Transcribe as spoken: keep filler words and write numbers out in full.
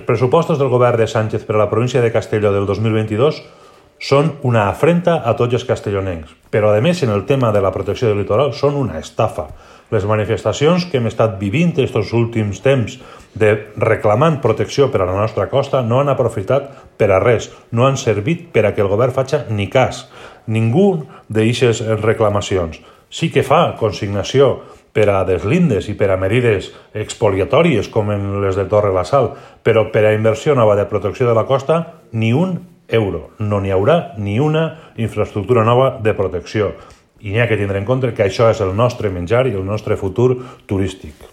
Els pressupostos del govern de Sánchez per a la província de Castelló del dos mil vint-i-dos són una afrenta a tots els castellonencs, però a més en el tema de la protecció del litoral són una estafa. Les manifestacions que hem estat vivint aquests últims temps de reclamant protecció per a la nostra costa no han aprofitat per a res, no han servit per a que el govern faci ni cas. Ningú d'aquestes reclamacions. Sí que fa consignació per a deslindes i per a medides expoliatòries com en les de Torre la Sal, però per a inversió nova de protecció de la costa ni un euro. No n'hi haurà ni una infraestructura nova de protecció. I n'hi ha que tindre en compte que això és el nostre menjar i el nostre futur turístic.